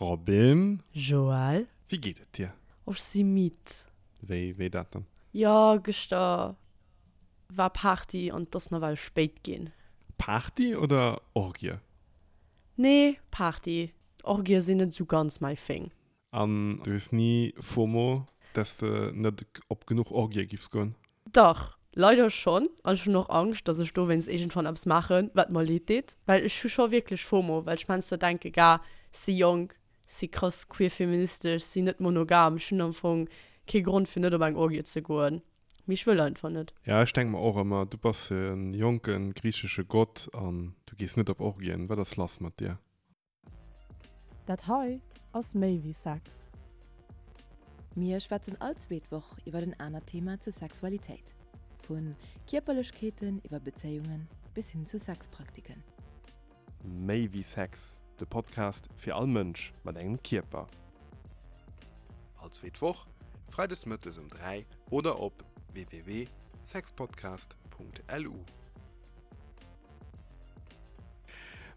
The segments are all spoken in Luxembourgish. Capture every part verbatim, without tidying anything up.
Robin. Joël. Wéi geet et dir? Ech si midd. Wéi, wéi dat dann? Jo, gëschter war Party an et ass nawell spéit ginn. Party oder Orgie? Nee, Party. Orgie sinn net esou ganz my thing. An du hues ni FOMO, dass de net op genuch Orgie giffs goen? Dach, leider schonn. An ech hunn och Angscht, dass ech dowéinst iergendwann eppes maachen, wat mer leed deet. Well ech hu scho wierklech FOMO, well ech heiansdo denke, Gah, si jonk, si krass queer-feministesch, si net monogam, ech hunn am Fong kee Grond fir net op eng Orgie ze goen. Mee ech wëll einfach net. Ja, ech denke mer och ëmmer, du bass e jonke griichesche Gott an du gees net op Orgien, wat ass lass mat dir? Dat hei ass méi wéi Sex. Mir schwätzen all zweet Woch iwwer en anert Thema zur Sexualitéit. Vu Kierperlechkeeten iwwer Bezéiungen bis hin zu Sexpraktiken. Méi wéi Sex, de Podcast fir all Mënsch mat engem Kierper. All zweet Woch, freides mëttes um dräi oder op www sexpodcast punkt lu.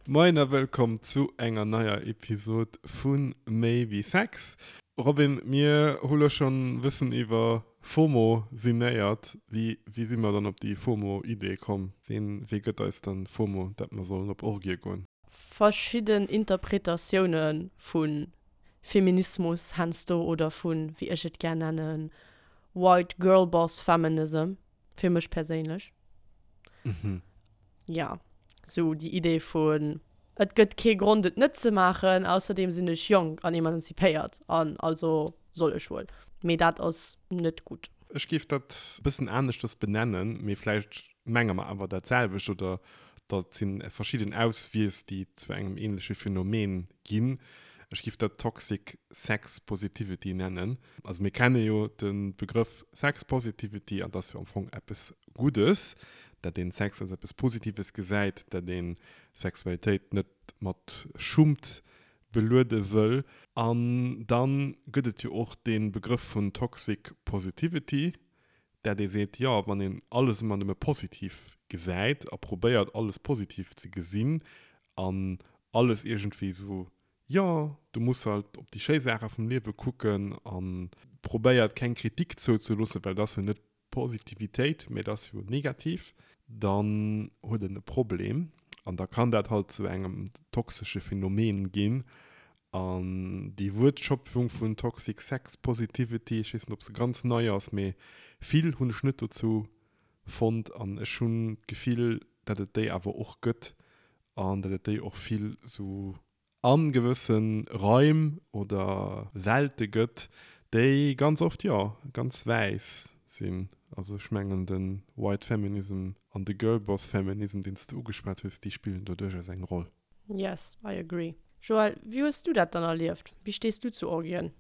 Moien a wëllkomm zu enger neier Episod vu Méi wéi Sex. Robin, mir hu lo schonn e bëssen iwwer FOMO sinnéiert. Wéi, wéi si mer dann op déi FOMO-Idee komm? Ween, wee gëtt eis dann FOMO, dat mer sollen op Orgie goen? Verschidden Interpretatioune vu Feminismus heiansdo oder vu, wéi ech et gär nennen, White Girlboss Feminism, fir mech perséinlech. Mhm. Ja, sou déi Idee vun, et gëtt kee Grond et net ze maachen, ausserdeem sinn ech jonk an emanzipéiert an also soll ech wuel. Mee dat ass net gutt. Ech géif dat e bëssen aneschters benennen, mee vläicht menge mer awer dat selwecht oder dat si verschidden Auswiess, déi zu engem ähnleche Phänomen ginn. Ech géif dat Toxic Sex Positivity nennen. Also mir kenne jo de Begrëff Sex Positivity an dat ass jo am Fong eppes Guddes, dat een Sex als eppes Positives gesäit, dat een Sexualitéit net mat Schummt beluede wëll. An dann gëtt et jo och dee Begrëff vun Toxic Positivity, dat ee seet, jo, wann een alles ëmmer nëmme positiv gesäit a probéiert alles positiv ze gesinn an alles iergendwéi esou, jo, du muss halt op déi schéi Saache vum Liewe kucken a probéiert keng Kritik zouzeloossen, well dat ass jo net Positivitéit, mee dat ass jo negativ, dann huet en e Problem an da kann dat halt zu engem toxesche Phänomen ginn. An déi Wuertschöpfung vun Toxic Sex Positivity, ech weess net, ob se ganz nei ass, mee vill hunn ech net dozou fonnt an ech hunn d'Gefill, datt et déi awer och gëtt an datt et déi och vill sou a gewësse Raim oder Welte gëtt, déi ganz oft, jo, ganz wäiss sinn. Also ech mengen de White Feminism an de Girlboss Feminism, deen s de ugeschwat hues, déi spillen do duerchaus eng Roll. Yes, I agree. Joël, wéi hues du dat dann erlieft? Wéi stees du zu Orgien?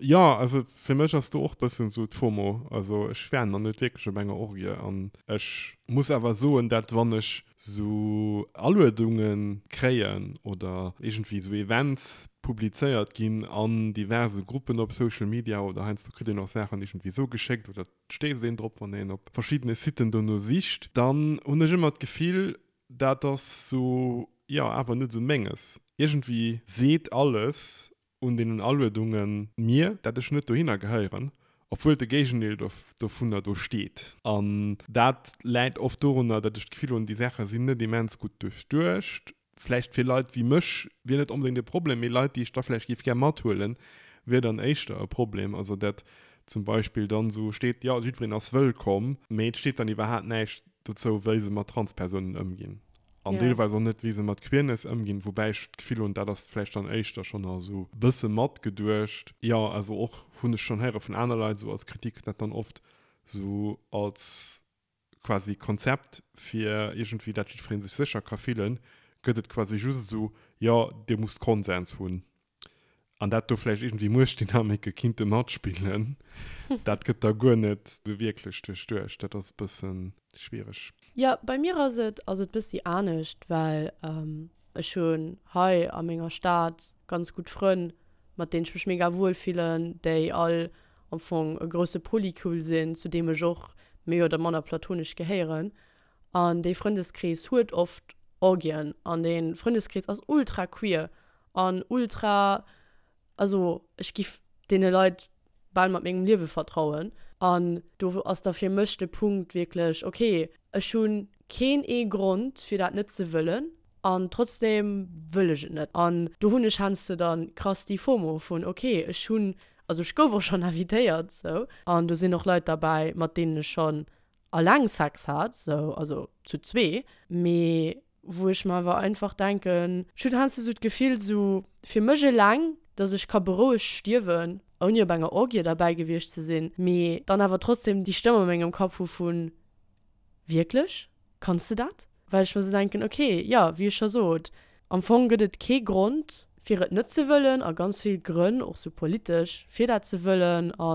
Jo, also fir mech ass do och bëssen esou d'FOMO. Also ech war nach net wierklech op enger Orgie an ech muss awer soen, dat wann ech sou Aluedunge kréien oder iergendwéi sou Events publizéiert ginn an diverse Gruppen op Social Media oder heiansdo kritt een och Saachen iergendwéi sou geschéckt oder et stéisst een drop, wann een op verschiddene Siten dono sicht, dann hunn ech ëmmer d'Gefill, dat ass sou, jo, awer net sou Menges. Iergendwéi seet alles un deenen Aluedungen mir, dat ech net dohinner gehéieren, obwuel de Géigendeel dovunner do steet. An dat läit oft dorunner, dat ech d'Gefill hunn, déi Saache sinn net immens gutt duerchduecht. Vläicht fir Leit wéi mech wier net onbedéngt e Problem, mee Leit, déi ech da vläicht géif gär mathuelen, wier dann éischter e Problem. Also dat zum Beispill dann esou steet, jo, jiddwereen ass wëllkomm, mee et steet dann iwwerhaapt näischt dozou, wéi se mat Transpersounen ëmginn. An Ja. deelweis och net, wéi se mat Queerness ëmginn, woubäi ech d'Gefill hunn, dat ass vläicht dann éischter schonn nach esou e bësse matgeduecht. Jo, also och hunn ech schonn héiere vun aner Leit esou als Kritik, dat dann oft esou als quasi Konzept fir iergendwéi, dat jiddweree sech sécher ka fillen, gëtt et quasi just esou, jo, dir musst Konsens hunn. An dat do vläicht iergendwéi Muechtdynamike kinnte matspillen, dat gëtt da guer net esou wierklech duerchduecht. Dat ass e bësse schwiereg. Jo, bei mir ass et, ass et bëssi anescht, well ech hunn hei a menger Stad ganz gutt Frënn, mat deenen ech mech mega wuel fillen, déi all am Fong e grousse Polycule sinn, zu deem ech och méi oder manner platonesch gehéieren. An dee Frëndeskrees huet oft Orgien an dee Frëndeskrees ass ultra queer an ultra Also ech giff deene Leit bal mat mengem Liewe vertrauen. An do ass da fir mech de Punkt wierklech, okay, ech hunn keen ee Grond fir dat net ze wëllen an trotzdem wëll ech et net. An do hunn ech heiansdo dann krass déi FOMO vun, okay, ech hunn, also ech gouf och schonn invitéiert sou an do sinn och Leit derbäi mat deenen ech schonn alleng Sex hat, sou, also zu zwee, mee wou ech mer awer einfach denken, ech hunn heiansdo sou d'Gefill sou fir mech eleng, dass ech ka berouegt stierwen, ouni op enger Orgie derbäi gewiescht ze sinn, mee dann awer trotzdem déi Stëmm a mengem Kapp hu vun, Wierklech? Kanns de dat? Well ech mer sou denken, ok, jo, wéi ech scho sot, am Fong gëtt et kee Grond, fir et net ze wëllen a ganz vill Grënn, och sou politesch, fir dat ze wëllen. A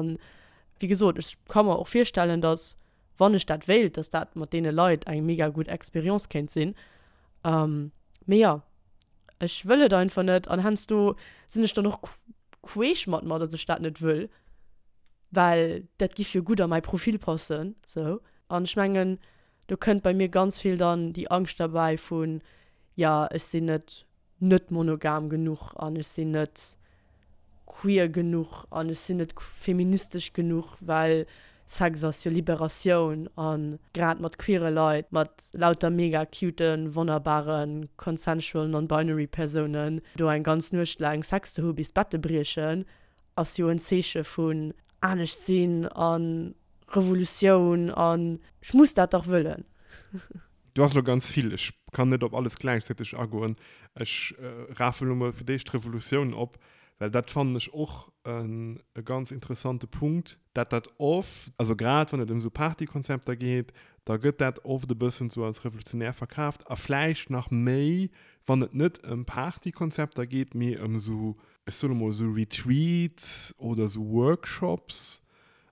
wéi gesot, ech ka mer och virstellen, dass, wann ech dat wéilt, dass dat mat deene Leit eng mega gutt Experience kéint sinn. Mee jo, ech wëll et einfach net an heiansdo sinn ech dann och queesch mat mer, dass ech dat net wëll, well dat giff jo gutt a mäi Profil passen, sou. An ech mengen, do kënnt bei mir ganz vill dann déi Angscht derbäi vun, jo, ech sinn net net monogam genuch an ech sinn net queer genuch an ech sinn net feministesch genuch, well Sex ass jo Liberatioun a grad mat queere Leit, mat lauter mega cuten, wonnerbaren, consensual, non-binary Persounen do eng ganz Nuecht laang Sex ze hu bis d'Bette briechen, ass jo en Zeeche vun anescht sinn a Revolutioun an ech muss dat dach wëllen. Du has elo ganz vill, ech kann net op alles gläichzäiteg agoen. Ech rafen elo mol fir d'éischt d'Revolutioun op, well dat fannen ech och e ganz interessante Punkt, dat dat oft, also grad wann et ëm esou Partykonzepter geet, da gëtt dat oft e bëssen esou als revolutionär verkaaft a vläicht nach méi, wann et net ëm Partykonzepter geet, mee ëm esou, ech soe mol esou Retreats oder esou Workshops.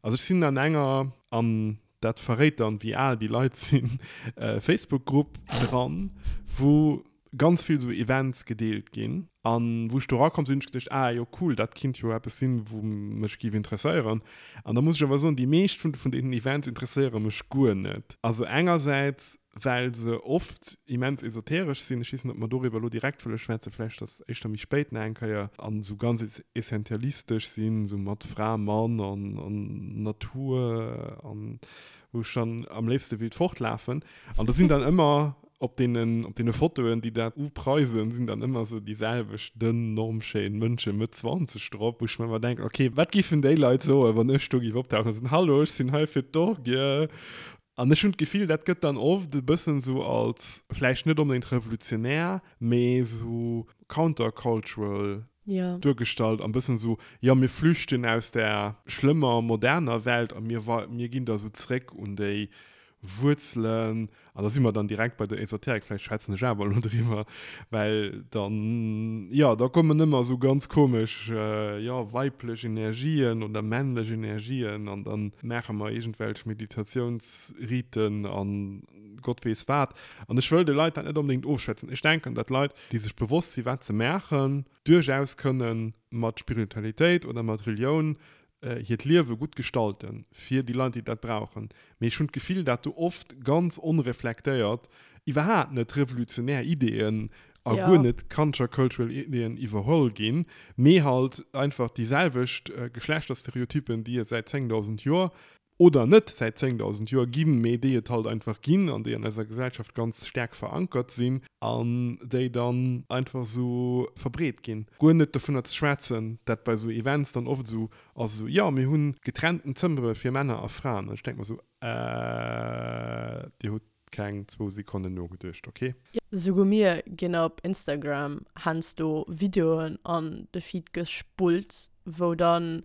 Also ech sinn an enger, an dat verréit dann, wéi al déi Leit sinn, Facebook-Grupp dran, wou ganz vill esou Events gedeelt ginn. An wou ech do erakomm sinn, hunn ech geduecht, ah jo cool, dat kinnt jo eppes sinn, wou mech géif interesséieren. An da muss ech awer soen, déi meescht vun deenen Events interesséiere mech guer net. Also engersäits, well se oft immens esoteresch sinn, ech weess net, ob mer doriwwer elo direkt wëlle schwätzen, vläicht ass éischter méi spéit nach eng Kéier, an esou ganz essentialistesch sinn, esou mat Fra, Mann an Natur an wou ech dann am léifste wéilt fortlafen. An do sinn dann ëmmer op deenen, op deene Fotoen, déi dat upreisen, sinn dann ëmmer esou déi selwecht dënn, normschéin Mënsche Mëtt zwanzeg drop, wou ech mer ëmmer denken, okay, wat géifen déi Leit soen, wann ech do géif optauchen a soen, Hallo, ech sinn hei fir d'Orgie. An ech hunn d'Gefill, dat gëtt dann oft e bëssen esou als, vläicht net onbedéngt revolutionär, mee esou countercultural duergestallt an e bëssen esou, jo, mir flüchten aus där schlëmmer moderner Welt a mir, mir ginn da esou zréck un déi Wuerzelen. An da si mer dann direkt bei der Esoterik, vläicht schwätzen ech awer elo driwwer, well dann, jo, da kommen ëmmer esou ganz komesch, jo, weiblech Energien oder männlech Energien an da maache mer iergendwelch Meditatiounsriten an Gott weess wat. An ech wëll de Leit dat net onbedéngt ofschwätzen. Ech denken, datt Leit, déi sech bewosst si wat se maachen, duerchaus kënne mat Spiritualitéit oder mat Relioun hiert Liewe gutt gestalten, fir déi Leit, déi dat brauchen. Mee ech hunn d'Gefill, dat do oft ganz onreflektéiert iwwerhaapt net revolutionär Ideeën a guer net countercultural Ideeën iwwerholl ginn, mee halt einfach déi selwecht Geschlechterstereotypen, déi et säit zéngdausend Joer oder net säit zéngdausend Joer ginn, mee déi et halt einfach ginn an déi an eiser Gesellschaft ganz staark verankert sinn an déi dann einfach esou verbreet ginn. Guer net dovunner ze schwätzen, dat bei esou Events dann oft esou ass, esou, jo, mir hu getrennten Zëmmere fir Männer a Fraen. An ech denke mer esou, Äh, Dir hutt keng zwou Sekonnen nogeduecht, ok? Souguer mir ginn op Instagram heiansdo Videoen an de Feed gespullt, wou dann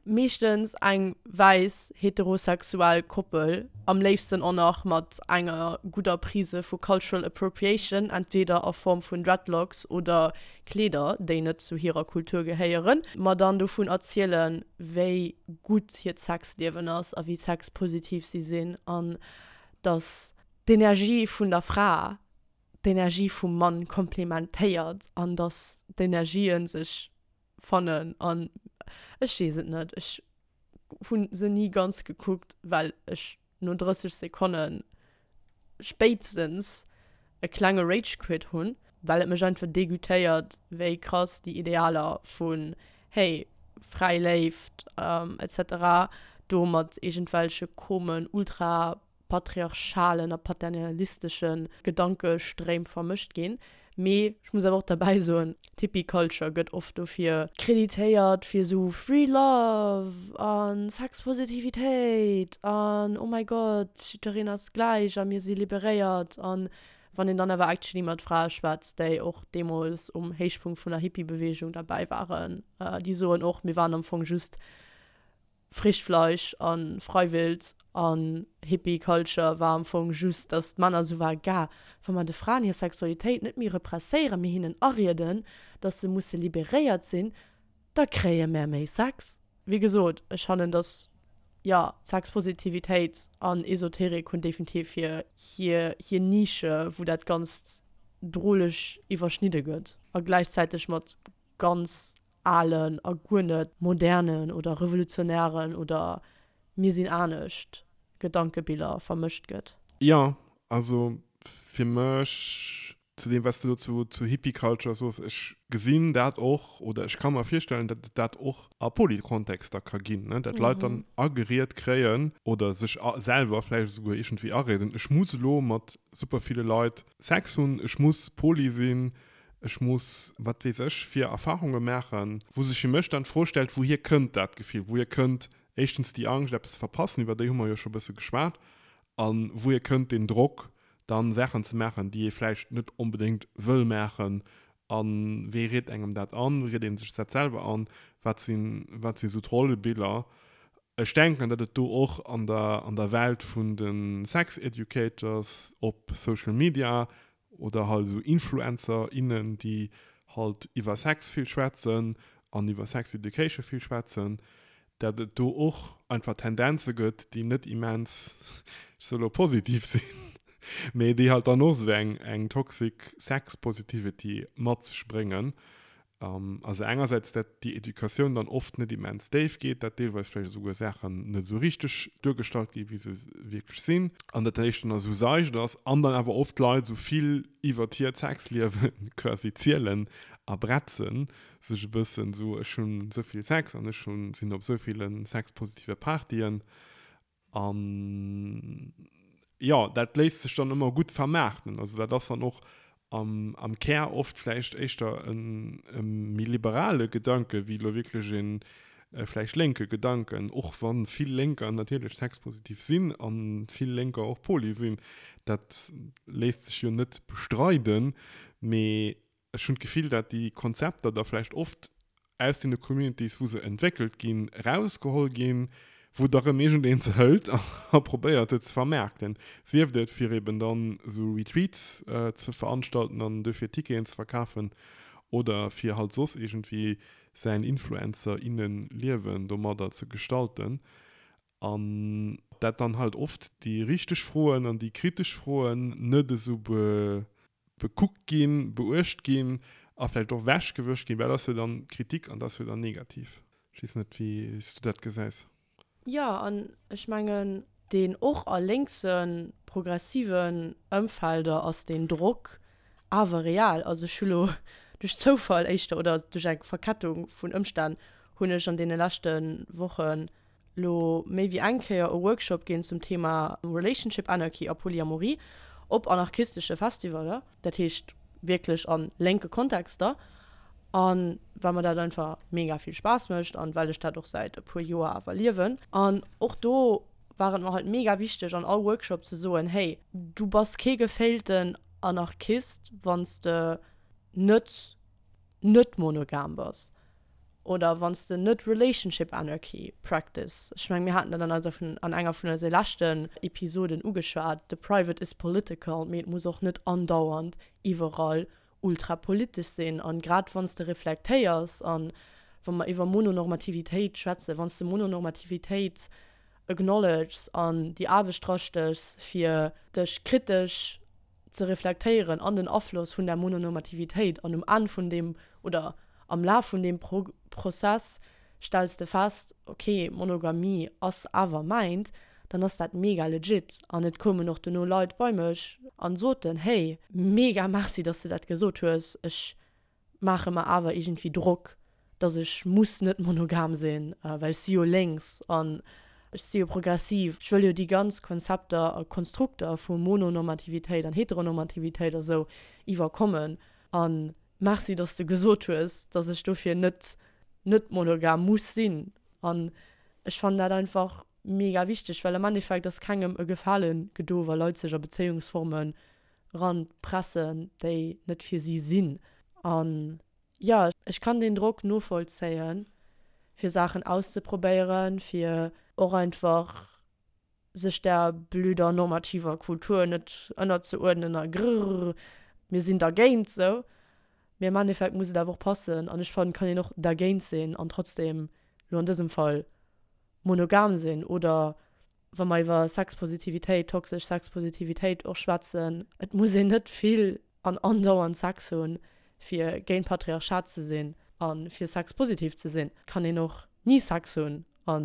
meeschtens eng wäiss heterosexuell Koppel, am léifsten och nach mat enger gudder Prise vu cultural appropriation, entweder a Form vun Dreadlocks oder Kleeder, déi net zu hirer Kultur gehéieren, mer dann dovun erzielen, wéi gutt hiert Sexliewen ass a wéi sexpositiv si sinn an dass d'Energie vun der Fra d'Energie vum Mann komplementéiert an dass d'Energien sech fannen an ech weess et net, ech hunn se ni ganz gekuckt, well ech no drësseg Sekonnen spéitstens e klenge Rage Quit hunn, well et mech einfach degutéiert, wéi krass déi Idealer vun hey, fräi Léift et cetera do mat iergendwelche komen ultra-patriarchalen a paternalistesche Gedankestréim vermëscht ginn. Mee ech muss awer och derbäi soen, d'Hippie Culture gëtt oft dofir kreditéiert fir esou Free Love a Sexpositivitéit an oh my God, jiddereen ass gläich a mir si liberéiert. An wann een dann awer actually mat Frae schwätzt, déi och deemools um Héichpunkt vun der Hippie-Beweegung derbäi waren, déi soen och, mir waren am Fong just Frischfleisch a Freiwild an Hippie Culture war am Fong just, dass d'Männer esou waren, Gah, wa mer de Fraen hir Sexualitéit net méi represséieren, mee hinnen arieden, dass se musse liberéiert sinn, da kréie mär méi Sex. Wéi gesot, ech fannen, dass, jo, Sexpositivitéit an Esoterik hunn definitiv hir, hir, hir Nische, wou dat Ganzt droleg iwwerschnidde gëtt a gläichzäiteg mat ganz alen a guer net modernen oder revolutionären oder mir sinn anescht Gedankebiller vermëscht gëtt. Jo, also fir mech, zu deem wat s de elo zu zu Hippie Culture soos, ech gesinn dat och oder ech ka mer virstellen, datt et dat och a Polykontexter ka ginn, ne, datt Leit dann ageriet kréien oder sech selwer vläicht esouguer iergendwéi arieden, ech muss elo mat super ville Leit Sex hunn, ech muss poly sinn, ech muss wat weess ech fir Erfahrunge maachen, wou sech fir mech dann d'Fro stellt, wouhier kënnt dat Gefill, wouhier kënnt éischtens déi Angscht eppes ze verpassen, iwwer déi hu mer jo scho e bësse geschwat, a wouhier kënnt deen Drock dann Saachen ze maachen, déi ee vläicht net onbedéngt wëll maachen, a wee riet engem dat an, wéi riet ee sech dat selwer an, wat sinn, wat si sou d'Rollebiller. Ech denken, datt et do och an der, an der Welt vun de Sex Educators op Social Media oder halt esou Influencer, innen, déi halt iwwer Sex vill schwätzen an iwwer Sex Education vill schwätzen, dat et do och einfach Tendenze gëtt, déi net immens, ech soe lo positiv sinn, mee déi halt dann och esou eng, eng toxic Sex Positivity mat sech bréngen. Also engersäits, dat déi Educatioun dann oft net immens déif geet, dat deelweis vläicht esouguer Saachen net esou richteg duergestallt ginn, wéi se wierklech sinn, an dat dat éischter nach esou seicht ass, an dann awer oft d'Leit esou vill iwwert hiert Sexliewe quasi zielen a bretzen sech e bëssen esou, ech hunn esou vill Sex an ech hunn, sinn op esou ville sexpositive Partyen. An jo, dat léisst sech dann ëmmer gutt vermaarten. Also dat ass dann och am, am Kär oft vläicht éischter en, e méi liberale Gedanke wéi elo wierklech e vläicht lénke Gedanken, och wa vill Lénker natierlech sexpositiv sinn a vill Lénker och poly sinn. Dat léisst sech jo net bestreiden, mee ech hunn d'Gefill, dat déi Konzepter da vläicht oft aus deene Communities, wou se entwéckelt ginn, erausgeholl ginn, wou da rëm iergendeen se hëlt a probéiert et ze vermaarkten, sief et fir eben dann esou Retreats ze veranstalten an dofir Ticketen ze verkafen oder fir halt soss iergendwéi säin Influencer, innen Liewen domadder ze gestalten. An dat dann halt oft déi richteg Froen an déi kritesch Froen net esou bekuckt ginn, beuecht ginn a vläicht och ewechgewëscht ginn, well dat ass jo dann Kritik an dat ass jo dann negativ. Ech weess net, wéi s du dat gesäis. Jo, an ech mengen, deen och a lénkse progressiven Ëmfelder ass deen Drock awer real. Also ech hu lo duerch Zoufall éischter oder duerch eng Verkettung vun Ëmstänn hunn ech an deene leschte Wochen lo méi wéi eng Kéier e Workshop ginn zum Thema Relationship Anarchy a Polyamorie op anarchistesche Festivaler, dat heescht wierklech a lénke Kontexter. A well mer dat einfach mega vill Spaass mécht an well ech dat och säit e puer Joer awer liewen. An och do war et mer halt mega wichteg an all Workshop ze soen, hey, du bass kee gefailten Anarchist, wann s de net net monogam bass oder wann s de net Relationship Anarchy practice. Ech mengen, mir haten dat an eiser vun an enger vun eise leschten Episoden ugeschwat, the private is political, mee et muss och net andauernd iwwerall ultra politesch sinn. An grad wann s de reflektéiers an wa mer iwwer Mononormativitéit schwätzen, wann s de Mononormativitéit acknowledges an déi Aarbecht drastéchs fir dech kritesch ze reflektéieren an den Afloss vun der Mononormativitéit an um Enn vun deem oder am Laf vun deem Prozess stells de fest, ok, Monogamie ass awer mäint, dann ass dat mega legit. An et koumen och duerno Leit bei mech an soten, hey, mega merci, dass de dat gesot hues, ech maache mer awer iergendwéi Drock, dass ech muss net monogam sinn, well ech si jo lénks an ech si jo progressiv. Ech wëll jo déi ganz Konzepter a Konstrukter vu Mononormativitéit an Heteronormativitéit a sou iwwerkommen. A merci, dass de gesot hues, dass ech dofir net net monogam muss sinn. An ech fannen dat einfach mega wichteg, well am Endeffekt ass kengem e Gefale gedo, wa Leit sech a Bezéiungsformen eranpressen, déi net fir si sinn. An jo, ech kann deen Drock novollzéien, fir Saachen auszeprobéieren, fir och einfach sech där blöder normativer Kultur net ënnerzeuerdnen a grrr, mir sinn dergéint sou. Mee am Endeffekt muss et awer och passen an ech fannen, et kann een och dergéint sinn an trotzdem, lo an dësem Fall, monogam sinn oder wa mer iwwer Sexpositivitéit, toxesch Sexpositivitéit och schwätzen, et muss een net vill an andauernd Sex hunn, fir géint Patriarchat ze sinn a fir sexpositiv ze sinn. Et kann een och ni Sex hunn a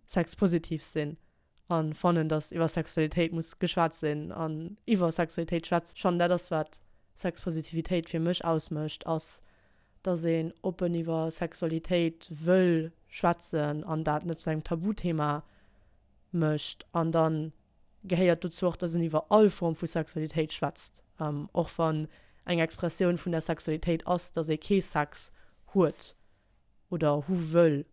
sexpositiv sinn a fannen, datt iwwer Sexualitéit muss geschwat sinn an iwwer Sexualitéit schwätzen. Schonn dat ass, wat Sexpositivitéit fir mech ausmécht, ass, datt een oppen iwwer Sexualitéit wëll schwätzen an dat net zu engem Tabuthema mécht. An da gehéiert dozou och, datt een iwwer all Form vu Sexualitéit schwätzt, och wann eng Expressioun vun der Sexualitéit ass, datt ee kee Sex huet oder hu wëll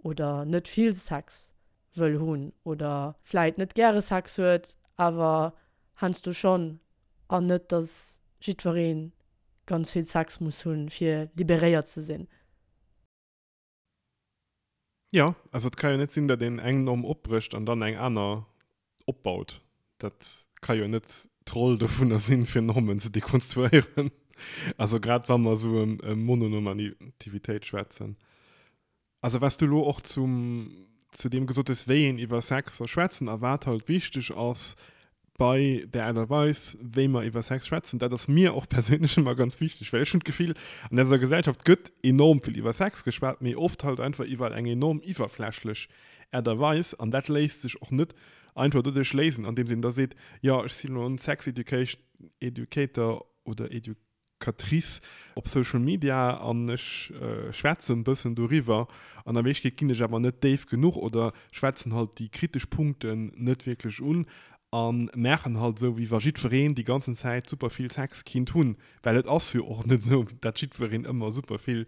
oder net vill Sex wëll hunn oder vläit net gäre Sex huet, awer heiansdo schonn, an net, datt jiddweree ganz vill Sex muss hunn, fir liberéiert ze sinn. Jo, also et ka jo net sinn, datt een eng Norm opbrécht an dann eng aner opbaut. Dat ka jo net d'Roll dovunner sinn, fir Normen ze dekonstruéieren. Also grad wa mer esou ëm Mononormativitéit schwätzen. Also wat s du elo och zum, zu deem gesot hues, wéi een iwwer Sex soll schwätzen a wat halt wichteg ass bei der Aart a Weis, wéi mer iwwer Sex schwätzen, dat ass mir och perséinlech ëmmer ganz wichteg, well ech hunn d'Gefill, an eiser Gesellschaft gëtt enorm vill iwwer Sex geschwat, mee oft halt einfach iwwer eng enorm iwwerflächlech Aart a Weis an dat léisst sech och net einfach doduerch léisen, andeems een da seet, jo, ech sinn elo en Sex Education Educator oder Educatrice op Social Media an ech schwätzen e bëssen doriwwer an a Wierklechkeet ginn ech awer net déif genuch oder schwätzen halt déi kritesch Punkten net wierklech un a maachen halt esou, wéi wa jiddwereen déi ganzen Zäit super vill Sex kinnt hunn, well et ass jo och net esou, dat jiddwereen ëmmer super vill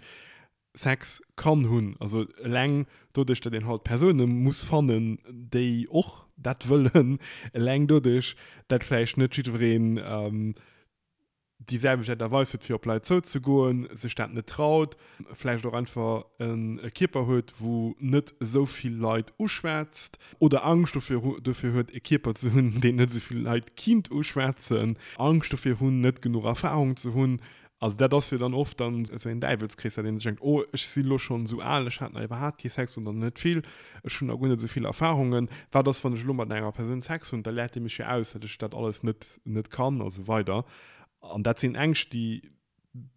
Sex kann hunn. Also eleng doduerch, datt een halt Persoune muss fannen, déi och dat wëllen, eleng doduerch, datt vläicht net jiddwereen déi selwecht Aart a Weis huet, fir op Leit zouzegoen, sech dat net traut, vläicht och einfach e Kierper huet, wou net esou vill Leit uschwätzt oder Angscht dofir dofir huet, e Kierper ze hunn, deen net esou vill Leit kinnt uschwätzen, Angscht dofir hunn, net genuch Erfarung ze hunn. Also dat ass jo dann oft dann esou een Däiwelskrees, dat een sech denkt, oh ech si lo schonn esou al, ech hat nach iwwerhaapt kee Sex oder net vill, ech hunn nach guer net esou vill Erfarungen, wat ass wann ech elo mat enger Persoun Sex hunn, da läert déi mech jo aus, datt ech dat alles net net kann a sou weider. An dat sinn Ängscht, déi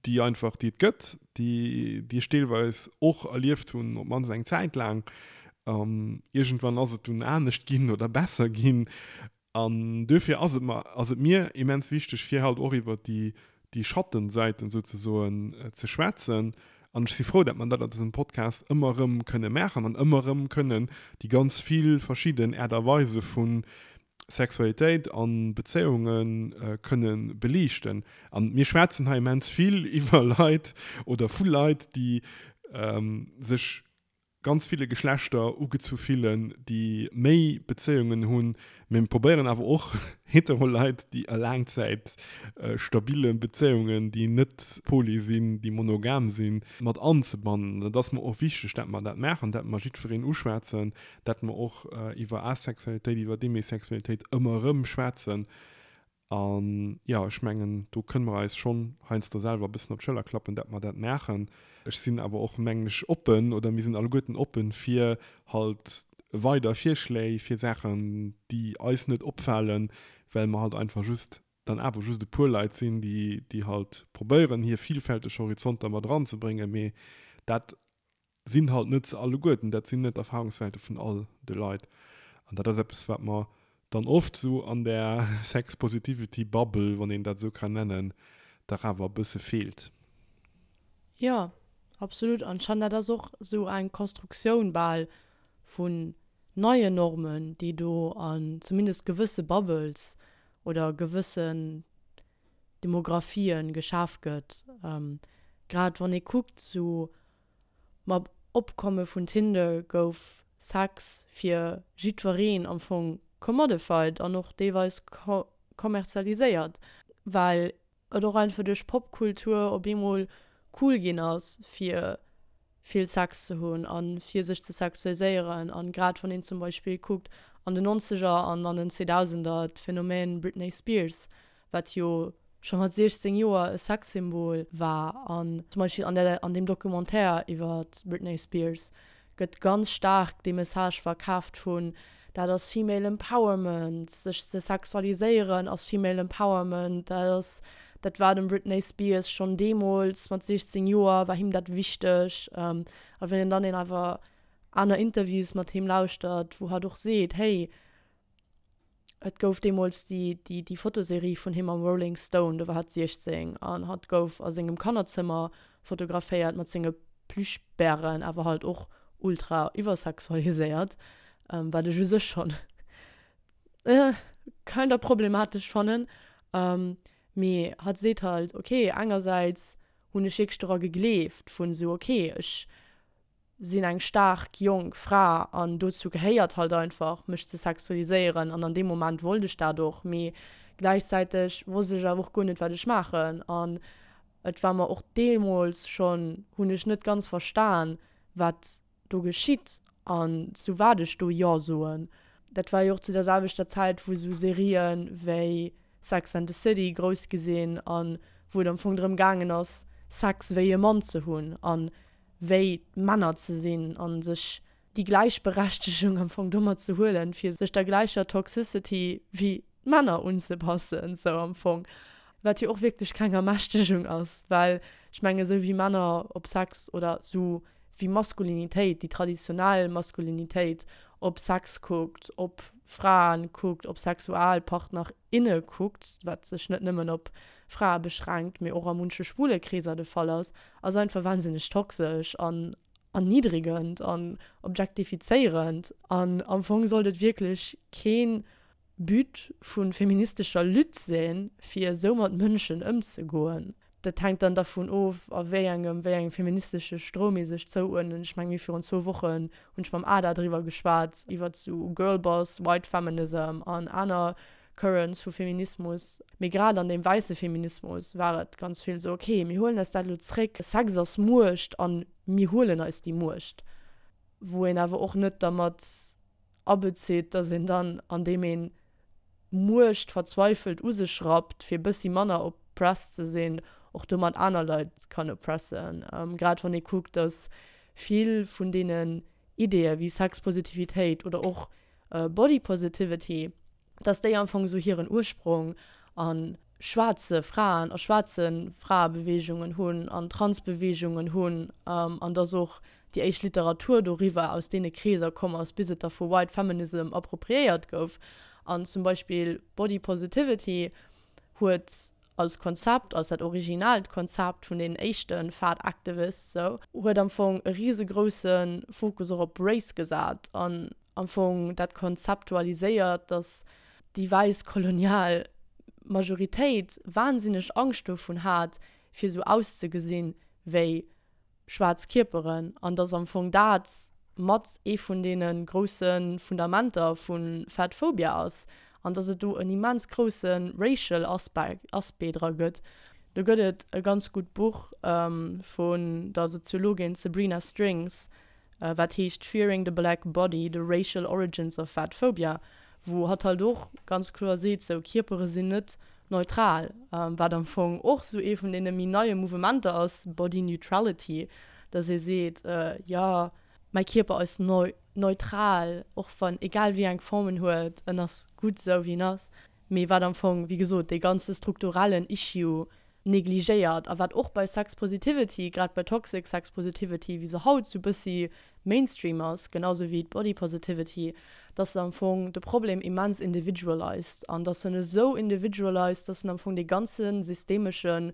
déi einfach déi et gëtt, déi déi ech deelweis och erlieft hunn, op d'mannst eng Zäit laang. Iergendwann ass et dunn anescht ginn oder besser ginn. An duerfir ass et mer, ass et mir immens wichteg, fir halt och iwwert déi, déi Schattensäiten souzesoen ze schwätzen. An ech si frou, dat mer dat an dësem Podcast ëmmer erëm kënne maachen an ëmmer erëm kënnen déi ganz vill verschidden Aart a Weise vu Sexualitéit a Bezéiunge kënne beliichten. An mir schwätzen hei immens vill iwwer Leit oder vu Leit, déi sech ganz ville Geschlechter ugezu fillen, déi méi Bezéiungen hunn, mee mir probéieren awer och hetero Leit, déi a laangzäit stabile Bezéiungen, déi net poly sinn, déi monogam sinn, mat anzebannen. Dat ass mer och wichteg, dat mer dat maachen, dat mer jiddwereen uschwätzen, dat mer och iwwer Asexualitéit, iwwer Demisexualitéit ëmmer erëm schwätzen. An jo, ech mengen, do kënne mer eis schonn heiansdo selwer e bëssen op d'Schëller klappen, dat mer dat maachen. Ech sinn awer och, mengen ech, oppen, oder mir sinn alleguerten oppen, fir halt weider Virschléi fir Saachen, déi eis net opfalen, well mer halt einfach just dann awer just e puer Leit sinn, déi, déi halt probéieren, hir vielfälteg Horizonter mat eranzebréngen. Mee dat sinn halt net se alleguerten, dat sinn net d'Erfahrungswälte vun all de Leit. An dat ass eppes, wat mer dann oft esou an där Sex-Positivity-Bubble, wann een dat esou kann nennen, dach awer e bësse feelt. Jo, Absolut, an ech fannen dat ass och esou eng Konstruktioun bal vun neien Normen, déi do an zumindest gewësse Bubbles oder gewëssen Demographien geschaf gëtt. Grad wann ee kuckt, esou mam Opkomme vun Tinder gouf Sex fir jiddwereen am Fong commodified an och deelweis kommerzialiséiert, well et och einfach duerch Popkultur op eemol cool ginn ass fir vill Sex ze hunn a fir sech ze sexualiséieren. An grad wann een zum Beispill kuckt an den Nonzeger an an den Zweedausender d'Phänomen Britney Spears, wat jo scho mat siechzéng Joer e Sexsymbol war an zum Beispill an der an deem Documentaire iwwer d'Britney Spears gëtt ganz staark dee Message verkaaft vun dat ass Female Empowerment, sech ze sexualiséieren ass Female Empowerment, dat ass dat war dem Britney Spears schonn deemools mat siechzéng Joer war him dat wichteg. A wann een dann een awer aner Interviews mat him lauschtert, wou hatt och seet, hey, et gouf deemools déi déi déi Fotoserie vun him am Rolling Stone, do war hatt siechzéng an hatt gouf a sengem Kannerzëmmer fotograféiert mat senge Plüschbären, awer halt och ultra iwwersexualiséiert, wat ech u sech schonn kinda problematesch fannen. Mee hatt seet halt, ok, engersäits hunn ech wierklech dora gegleeft vun esou, ok, ech sinn eng staark jonk Fra an dozou gehéiert halt einfach mech ze sexualiséieren an an deem Moment wollt ech dat och, mee gläichzäiteg wosst ech awer och guer net wat ech maachen an et war mer och deemools schonn, hunn ech net ganz verstan wat do geschitt an zu wat ech do Jo soen. Dat war jo och zu der selwechter Zäit wou esou Serien wéi Sex and the City grouss gi sinn an wou et am Fong drëm gaangen ass Sex wéi e Mann ze hunn an wéi Männer ze sinn a sech déi Gläichberechtegung am Fong domat ze huelen, fir sech der gläicher Toxicity wéi d'Männer unzepassen, sou am Fong. Wat jo och wierklech keng Ermächtegung ass, well ech mengen, esou wéi Männer op Sex oder esou wéi Maskulinitéit, déi traditionell Maskulinitéit op Sex kuckt, op Fraen kuckt, op Sexualpartner, inne kuckt, wat sech net nëmmen op Frae beschränkt, mee och a munche schwule Kreeser de Fall ass, ass einfach wahnsinneg toxesch an erniddregend an objektifizéierend. An am Fong sollt et wierklech kee But vu feministescher Lutte sinn, fir esou mat Mënschen ëmzegoen. Dat hänkt dann dervun of, a wéi engem, wéi engem feministesche Stroum ee sech zouuerdnen. Ech mengen, mir virun zwou Wochen hunn ech mam Ada driwwer geschwat, iwwert sou Girlboss, White Feminism an aner Currents vu Feminismus. Mee grad an deem wäisse Feminismus war et ganz vill sou, okay, mir huelen eis dat elo zréck, Sex ass Muecht a mir huelen eis déi Muecht. Wou een awer och net dermat abezitt, datt een dann, andeem een Muecht verzweifelt u sech rappt, fir e bëssi manner oppressed ze sinn, och domat aner Leit kann oppressen. Grad wann ee kuckt, datt vill vun deenen Ideeë wéi Sexpositivitéit oder och Body Positivity, datt déi am Fong esou hiren Ursprong a schwaarze Fraen, a schwaarze Fraebeweegungen hunn, an Transbeweegungen hunn, an datt och déi éischt Literatur doriwwer aus deene Kreeser komm ass, bis et da vu White Feminism appropriéiert gouf. An zum Beispill Body Positivity huet als Konzept, als dat originaalt Konzept vun deenen éischte Fat Activists sou, huet am Fong e risegrousse Fokus och op Race gesat an am Fong dat konzeptualiséiert, dass déi wäiss kolonial Majoritéit wahnsinneg Angscht dovun hat, fir sou auszegesinn wéi schwaarz Kierperen an dass am Fong dat mat ee vun deene grousse Fundamenter vu Fatphobia ass an dass et do en immens grousse racial Aspect dra gëtt. Do gëtt et e ganz gutt Buch vun der Soziologin Sabrina Strings, wat heescht Fearing the Black Body, The Racial Origins of Fatphobia, wou hatt halt och ganz kloer seet, sou Kierpere sinn net neutral, wat am Fong och sou ee vun deene méi neie Mouvementer ass, Body Neutrality, dass ee seet, jo, mäi Kierper ass neutral, och wann, egal wéi eng Form en huet, en ass gutt esou wéi en ass. Mee wat am Fong, wéi gesot, dee ganze strukturellen Issue negligéiert a wat och bei Sex Positivity, grad bei Toxic Sex Positivity, wéi se haut sou bëssi Mainstream ass, genau sou wéi d'Body Positivity, dass se am Fong de Problem immens individualized an dass en esou individualized, dass en am Fong dee ganze systemeschen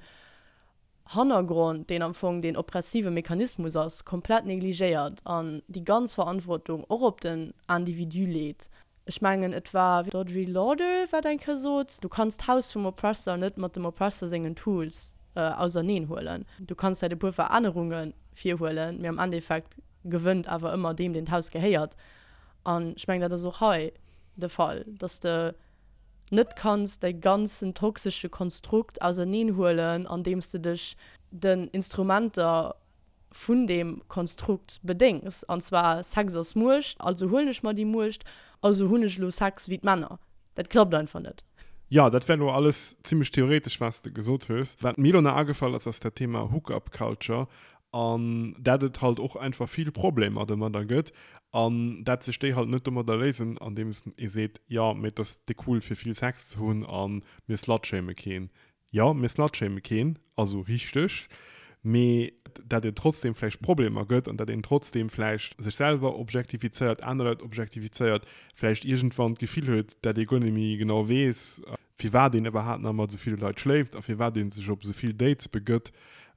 Hannergrond, deen am Fong deen oppressive Mechanismus ass, komplett negligéiert an déi ganz Verantwortung och op den Individu leet. Ech mengen, et war d'Audre Lorde, wat eng Kéier sot, Du kanns d'Haus vum Oppressor net mat dem Oppressor sengen Tools auserneen huelen. Du kanns vläicht e puer Verännerunge virhuelen, mee am Endeffekt gewënnt awer ëmmer deem, deen d'Haus gehéiert. An ech mengen, dat ass och hei de Fall, dass de net kanns däi ganzen toxesche Konstrukt auserneen huelen, andeems de dech den Instrumenter vun deem Konstrukt bedéngs, an zwar Sex ass Muecht, also huelen ech mer déi Muecht, also hunn ech elo Sex wéi d'Männer. Dat klappt einfach net. Jo, dat war elo alles zimmlech theoretesch, wat s de gesot hues. Wat mir elo nach agefall ass, ass dat Thema Hookup Culture an dat et halt och einfach vill Problemer domadder gëtt an dat sech déi halt net domadder léisen, andeems ee seet, jo, mee et ass déck cool fir vill Sex ze hunn a mir slutshame keen. Jo, mir slutshame keen, also richteg, mee dat et trotzdem vläicht Problemer gëtt an dat een trotzdem vläicht sech selwer objektifizéiert, aner Leit objektifizéiert, vläicht iergendwann d'Gefill huet, dat ee guer net méi genau weess, firwat een iwwerhaapt nach mat esou ville Leit schléift a firwat ee sech op esou vill Dates begëtt,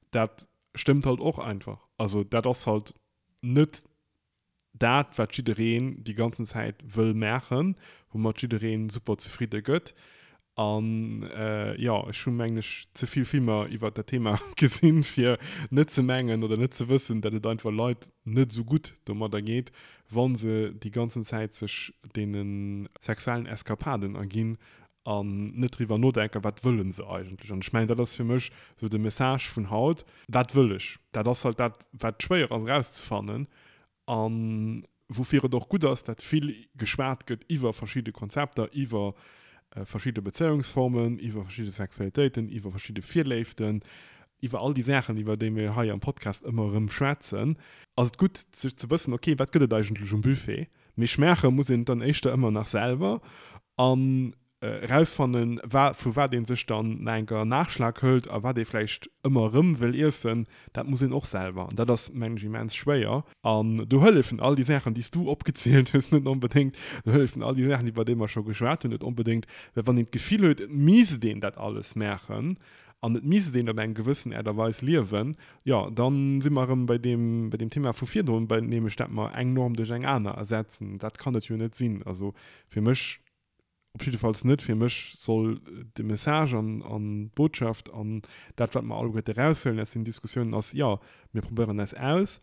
dat stëmmt halt och einfach. Also dat ass halt net dat, wat jiddereen déi ganzen Zäit wëll maachen, woumat jiddereen super zefridde gëtt. An jo, ech hu mengen ech ze vill Filmer iwwert dat Thema gesinn, fir net ze mengen oder net ze wëssen, dat et einfach Leit net esou gutt domadder geet, wa se déi ganzen Zäit sech deene sexuellen Eskapaden erginn an net driwwer nodenken, wat wëlle se eigentlech. An ech mengen, dat ass fir mech esou de Message vun haut, Wat wëll ech? Dat ass halt dat, wat schwéier ass erauszefannen a woufir et och gutt ass, dat vill geschwat gëtt iwwer verschidde Konzepter, iwwer verschidde Bezéiungsformen, iwwer verschidde Sexualitéiten, iwwer verschidde Virléiften, iwwer all déi Saachen, iwwer déi mir hei am Podcast ëmmer erëm schwätzen, ass et gutt, sech ze wëssen, okay, wat gëtt et eigentlech um Buffet? Mee schmaache muss een et dann éischter ëmmer nach selwer an erausfannen, wa vu wat ee sech dann nach enker Nachschlag hëlt a wat ee vläicht ëmmer erëm wëll iessen, dat muss een och selwer. An dat ass, mengen ech, immens schwéier. An do hëllefen all déi Saachen, déi s du opgezielt hues, net onbedéngt. Do hëllefen all déi Saachen, iwwer déi mer scho geschwat hunn, net onbedéngt. Well wann een d'Gefill huet, et misst een dat alles maachen an et misst een op eng gewëssen Aart a Weis liewen, jo, da si mer erëm bei deem, bei deem Thema vu virdrun, bei nämlech dat mer eng Norm duerch eng aner ersetzen. Dat kann et jo net sinn. Also fir mech Op jiddefalls net fir mech soll de Message an an d'Botschaft an dat, wat mer alleguerte eraushuelen aus den Diskussiounen, ass, Jo, mir probéieren eis aus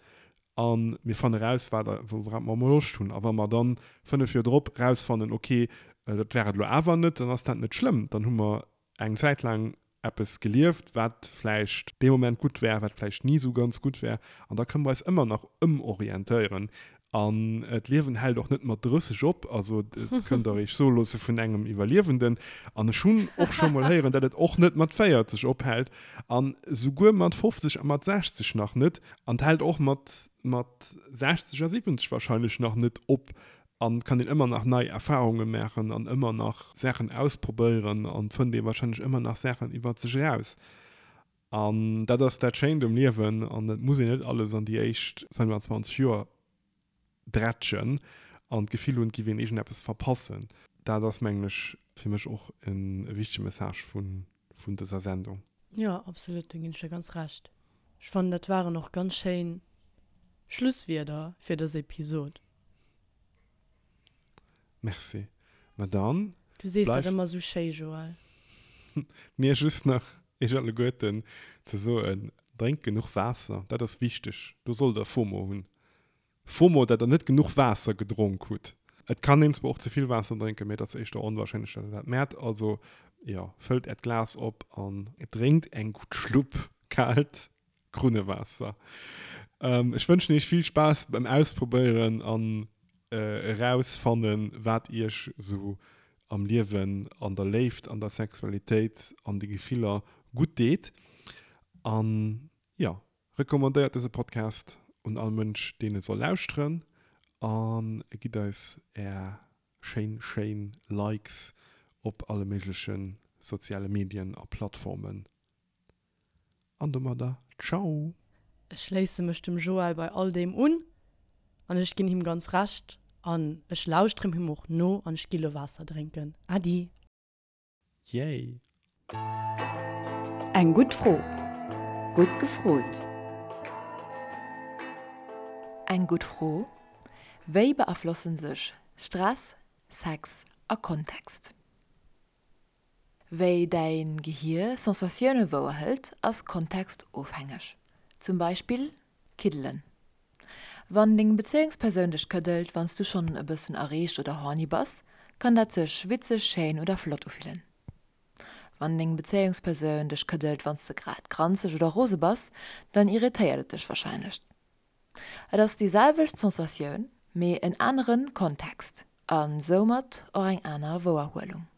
a mir fanne raus, wat wourop mer emol Loscht hunn. A wa mer dann fënnef Joer drop erausfannen, okay, dat war et elo awer net, dann ass dat net schlëmm. Dann hu mer eng Zäit laang eppes gelieft, wat vläicht dee Moment gutt war, wat vläicht ni esou ganz gutt war. An da kënne mer eis ëmmer nach ëmorientéieren. An d'Liewen hält och net mat drësseg op, also et kënnt Der Iech soe loosse vun engem Iwwerliewenden. An ech hunn och scho mol héieren, datt et och net mat véierzeg ophält an souguer mat fofzeg a mat sechzeg nach net. An et hält och mat mat sechzeg a siwwenzeg wahrscheinlech nach net op. An et kann een ëmmer nach nei Erfarunge maachen an ëmmer nach Saachen ausprobéieren an et fënnt ee wahrscheinlech ëmmer nach Saachen iwwert sech eraus. An dat ass dat Schéint um Liewen an et muss een net alles an déi éischt fënnfanzwanzeg Joer drätschen an d'Gefill hunn, et giff een iergendeppes verpassen. Dat ass, mengen ech, fir mech och e wichtege Message vun dëser Sendung. Jo, absolut, do ginn ech der ganz Recht. Ech fannen, dat waren och ganz schéin Schlusswierder fir dës Episod. Merci. Ma dann Du sees dat bleift ëmmer esou schéi, Joël. mir just nach iech alleguerten ze soen, Drénkt genuch Waasser, dat ass wichteg. Do sollt der FOMO hunn. FOMO, dat der net genuch Waasser gedronk hutt. Et kann een zwar och ze vill Waasser drénken, mee et ass éischter onwahrscheinlech, dat der dat mäert. Also, jo, fëllt äert Glas op an drénkt eng gutt Schlupp kaalt Krunnewaasser. Ech wënschen iech vill Spaass beim Ausprobéieren an erausfannen, wat iech esou am Liewen, an der Léift, an der Sexualitéit, an de Gefiller gutt deet. An jo, Recommandéiert dëse Podcast un all Mënsch deen e soll lauschteren a gitt eis är schéin schéin Likes op alle méigleche soziale Medien a Plattformen. An domadder Ciao! Ech schléisse mech dem Joël bei all deem un an ech ginn him ganz Recht an ech lauschterem him och no an ech gi lo Waasser drénken. Äddi! Yay! Eng gutt Fro. Gutt gefrot! Eng gutt Fro, Wéi beaflossen sech Stress, Sex a Kontext? Wéi däin Gehier Sensatioune wouerhëlt, ass kontextofhängeg. Zum Beispill Kiddelen. Wann deng Bezéiungspersoun dech këddelt, wann s du schonn e bëssen erreegt oder horny bass, kann dat sech witzeg, schéin oder flott ufillen. Wann deng Bezéiungspersoun dech këddelt, wann s de grad granzeg oder rose bass, dann irritéiert et dech warscheinlech. Et ass déi selwecht Sensatioun, mee en anere Kontext a soumat och eng aner Wouerhuelung.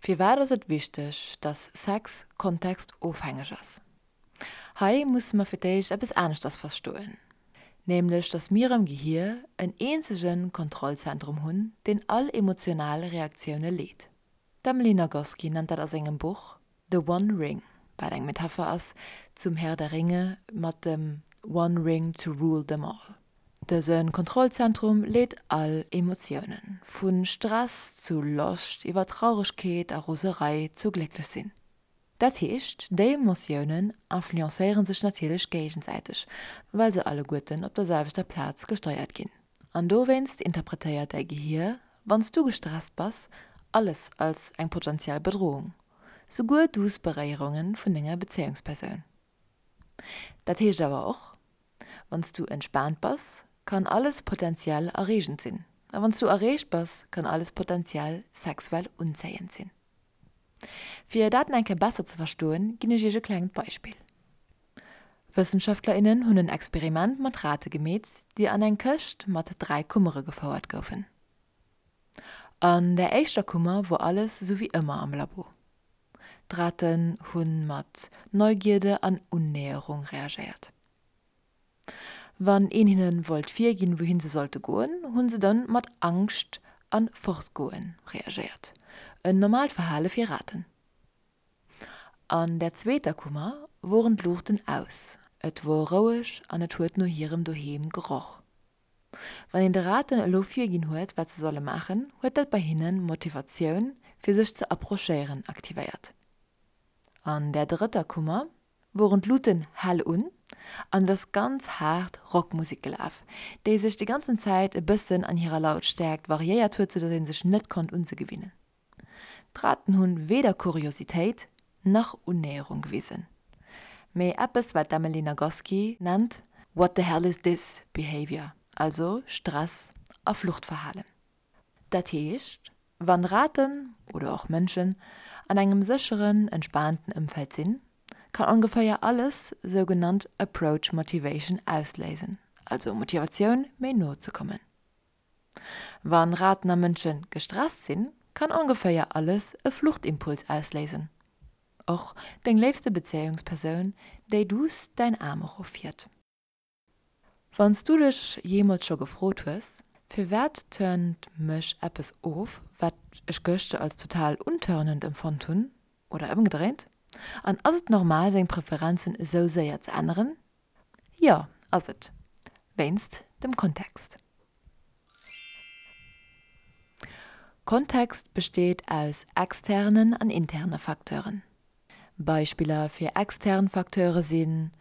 Firwat ass et wichteg, dass Sex kontextofhängeg ass? Hei musse mer fir d'éischt eppes aneschters verstoen, nämlech dass mir am Gehier en eenzege Kontrollzentrum hunn, deen all emotional Reaktioune leet. D'Emily Nagoski nennt dat a sengem Buch The One Ring, wat eng Metapher ass zum Herr der Ringe mat dem One Ring to rule them all. Dëse Kontrollzentrum leet all Emotiounen, vu Stress zu Loscht iwwer Trauregkeet a Roserei zu glécklech sinn. Dat heescht, déi Emotiounen influencéiere sech natierlech géigesäiteg, well se alleguerten op der selwechter Plaz gesteiert ginn. An dowéinst interpretéiert däi Gehier, wann s du gestresst bass, alles als eng potentiell Bedrohung, souguer duuss Beréierunge vun denger Bezéiungspersoun. Dat heescht awer och, Wann s du entspaant bass, kann alles potentiell erreegend sinn. A wann s du erreegt bass, kann alles potentiell sexuell unzéiend sinn. Fir dat nach eng Kéier besser ze verstoen, ginn ech iech e klengt Beispill. Wëssenschaftler, innen hunn en Experiment mat Rate gemeet, déi an eng Këscht mat dräi Kummere gefouert goufen. An der éischter Kummer wor alles sou wéi ëmmer am Labo. D'Raten hu mat Neugierde an Unnäherung reagéiert. Wann een hinne wollt virginn, wouhin se sollte goen, hu se dann mat Angscht an Fortgoen reagéiert, en normaalt Verhale fir Raten. An der zweeter Kummer woren d'Luuchten aus, et wor roueg an et huet no hirem Doheem geroch. Wann een de Raten elo virginn huet, wat se solle maachen, huet dat bei hinnen Motivatioun, fir sech ze approchéieren, aktivéiert. An der drëtter Kummer woren d'Luuten hell un an et ass ganz haart Rockmusek gelaf, déi sech déi ganzen Zäit e bëssen an hirer Lautstäerkt variéiert huet, soudatt ee sech net konnt un se gewinnen. D'Raten hunn weder Kuriositéit nach Unnäherung gewisen, mee eppes wat d'Emily Nagoski nennt What the hell is this behavior, also Stress a Fluchtverhalen. Dat heescht, wann Raten, oder och Mënschen, an engem sécheren, entspaanten Ëmfeld sinn, kann ongeféier alles sougenannt Approach Motivation ausléisen, also Motivatioun méi no ze kommen. Wann Raten a Mënsche gestresst sinn, kann ongeféier alles e Fluchtimpuls ausléisen, och deng léifste Bezéiungspersoun, déi duuss däin Aarm eroffiert. Wann s du dech jeemools scho gefrot hues, Firwat turnt mech eppes of, wat ech gëschter als total unturnend empfonnt hunn? Oder ëmgedréint, An ass et normal, seng Preferenzen esou séier ze änneren? Jo, ass et. Wéinst dem Kontext. Kontext besteet aus externen an interne Facteuren. Beispiller fir extern Facteure sinn,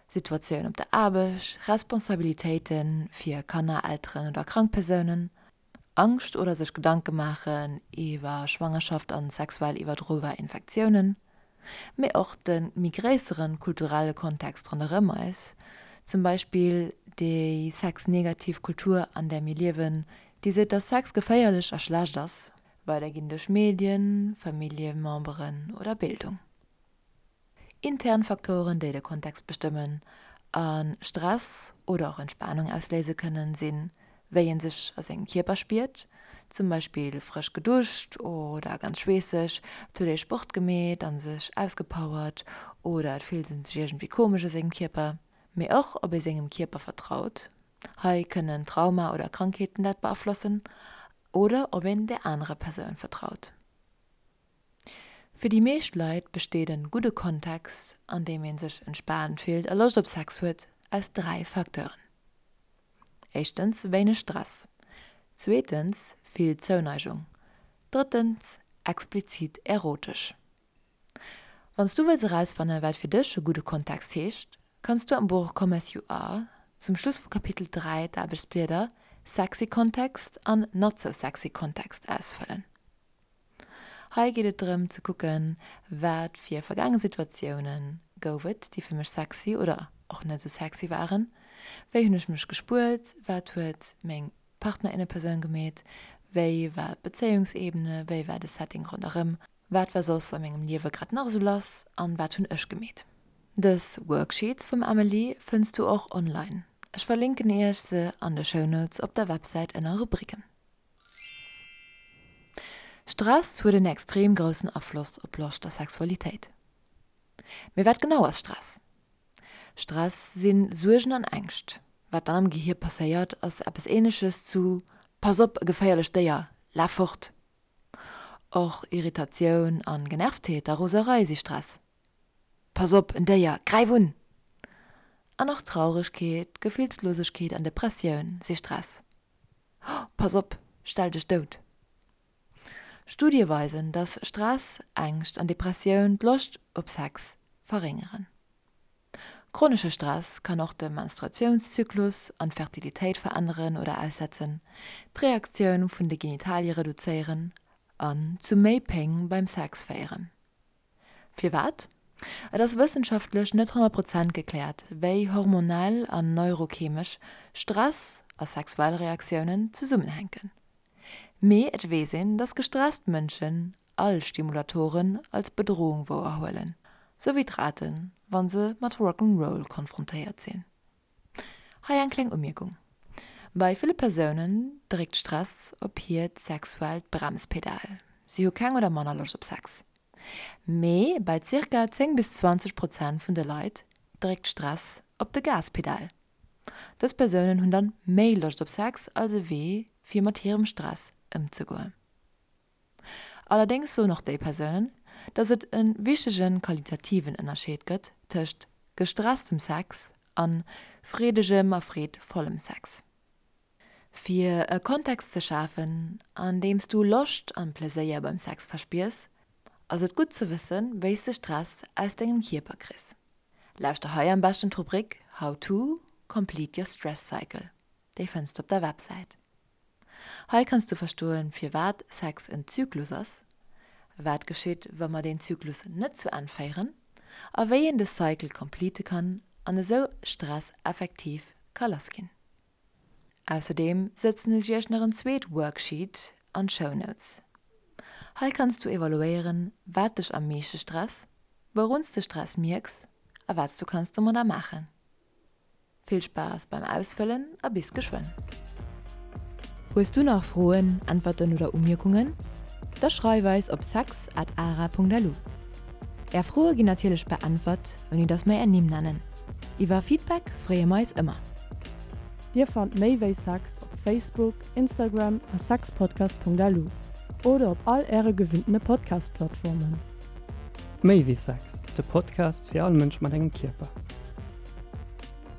Situatioun op der Aarbecht, Responsabilitéite fir Kanner, Elteren oder krank Persounen, Angscht oder sech Gedanke maachen iwwer Schwangerschaft an sexuell iwwerdrobar Infektiounen, mee och de méi gréissere kulturelle Kontext ronderëm eis, zum Beispill déi sexnegativ Kultur an där mir liewen, déi seet, dass Sex geféierlech a schlecht ass, weiderginn duerch Medien, Familljememberen oder Bildung. Intern Faktoren, déi de Kontext bestëmmen a Stress oder och Entspanung ausléise kënnen, sinn, wéi ee sech a sengem Kierper spiert, zum Beispill frësch geduscht oder ganz schweesseg, et huet ee Sport gemeet a sech ausgepowert oder et fillt ee sech iergendwéi komesch a sengem Kierper, mee och ob ee sengem Kierper vertraut, hei kënnen Trauma oder Krankheeten dat beaflossen, oder ob een där anerer Persoun vertraut. Fir déi meescht Leit besteet en gudde Kontext, an deem ee sech entspaant fillt a Loscht op Sex huet, aus dräi Facteuren, Éischtens, wéineg Stress, zweetens, vill Zouneigung, drëttens, explizit erotesch. Wann s du wëlls erausfannen, wat fir dech e gudde Kontext heescht, kanns du am Buch Come as you are zum Schluss vu Kapitel dräi d'Aarbechtsblieder Sexy Context an Not so sexy Context ausfëllen. Hei geet et drëm ze kucken, wat fir vergaange Situatioune gouf et, déi fir mech sexy oder och net esou sexy waren, wéi hunn ech mech gespuert, wat huet meng Partnerinnepersoun gemeet, wéi war d'Bezéiungsebene, wéi war de Setting ronderëm, wat war soss a mengem Liewe grad nach esou lass an wat hunn ech gemeet. Dës Worksheets vum Amelie fënns du och online, ech verlinken iech se an de Shownotes op der Websäit ënner Rubriken. Stress huet en extrem groussen Afloss op Loscht a Sexualitéit. Mee wat genau ass Stress? Stress si Suergen an Ängscht. Wat dann am Gehier passéiert, ass eppes Ähnleches zu Pass op, e geféierlecht Déier, laf fort! Och Irritatioun an Genervtheet a Roserei si Stress. Pass op, en Déier, gräif un! An och Trauregkeet, Gefillslosegkeet an Depressioun si Stress. Pass op, stell dech dout! Studie weisen, dass Stress, Ängscht an Depressioun d'Loscht op Sex verréngeren. Chronesche Stress kann och de Menstruatiounszyklus an d'Fertilitéit veränneren oder aussetzen, d'Reaktioun vun de Genitalie reduzéieren an zu méi Péng beim Sex féieren. Firwat? Et ass wëssenschaftlech net honnert Prozent gekläert, wéi hormonell an neurochemesch Stress a sexuell Reaktiounen zesummenhänken. Mee et weess een, dass gestresst Mënschen all Stimulatoren als Bedrohung wouerhuelen, sou wéi d'Raten, wa se mat Rock 'n' Roll konfrontéiert sinn. Hei eng kleng Umierkung, Bei ville Persounen dréckt Stress op hiert sexuellt Bremspedal, si hu keng oder manner Loscht op Sex. Mee bei zirka zéng bis zwanzeg Prozent vun de Leit dréckt Stress op de Gaspedal. Dës Persounen hunn dann méi Loscht op Sex als e Wee fir mat hirem Stress ëmzegoen. Allerdéngs soen och déi Persounen, dass et e wichtege qualitativen Ënnerscheed gëtt tëscht gestresstem Sex a freedegem a freedvollem Sex. Fir e Kontext ze schafen, an deem s du Loscht an Pleséier beim Sex verspiers, ass et gutt ze wëssen, wéi s de Stress aus dengem Kierper kriss. Lauschter hei am beschten d'Rubrik How to complete your stress cycle, déi fënns de op der Websäit. Hei kanns du verstoen, firwat Sex en Zyklus ass, wat geschitt, wa mer deen Zyklus net zu Enn féieren a wéi een de Cycle complete kann an esou Stress effektiv ka lass ginn. Ausserdeem sëtzen ech iech nach en zweet Worksheet an d'Show Notes. Hei kanns du evaluéieren, wat dech am meeschte stress, wourun s de Stress mierks a wat s du kanns domadder maachen. Vill Spaass beim Ausfëllen a bis geschwënn! Hues du nach Froen, Äntwerten oder Umierkungen? Da schreif eis op sex at ara punkt lu. Är Froe ginn natierlech beäntwert, ouni dass mer är Nimm nennen. Iwwer Feedback freeë mer eis ëmmer. Dir fannt méi wéi Sex op Facebook, Instagram a sexpodcast.lu oder op all äre gewinntene Podcast-Plattformen. Méi wéi Sex, de Podcast fir all Mënsch mat engem Kierper.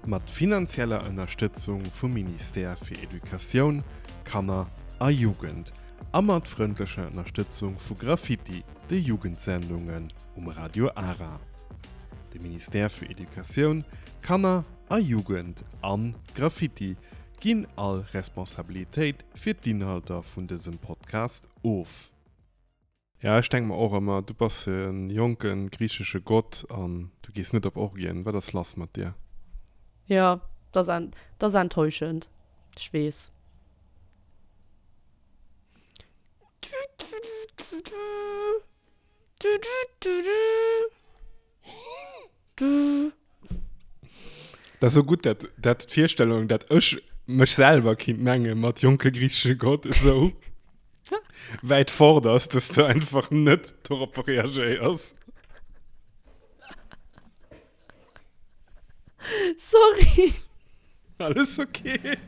Mat finanzieller Ënnerstëtzung vum Ministère fir Educatioun, Kanner a Jugend a mat frëndlecher Ënnerstëtzung vu Graffiti, de Jugendsendungen um Radio Ara. De Ministère fir Educatioun, Kanner a Jugend an Graffiti ginn all Responsabilitéit fir d'Inhalter vun dësem Podcast of. Ja, ech denke mer och ëmmer, du bass e jonke griichesche Gott an du gees net op Orgien. Wat ass lass mat dir? Ja, dat ass, dat ass enttäuschend. Ech weess. Dat ass sou gutt, dat, dat d'Virstellung, dat ech mech selwer kinnt menge mat jonke griichesche Gott esou wäit fort ass, dass du einfach net dorop reagéiers. Sorry. Alles okay.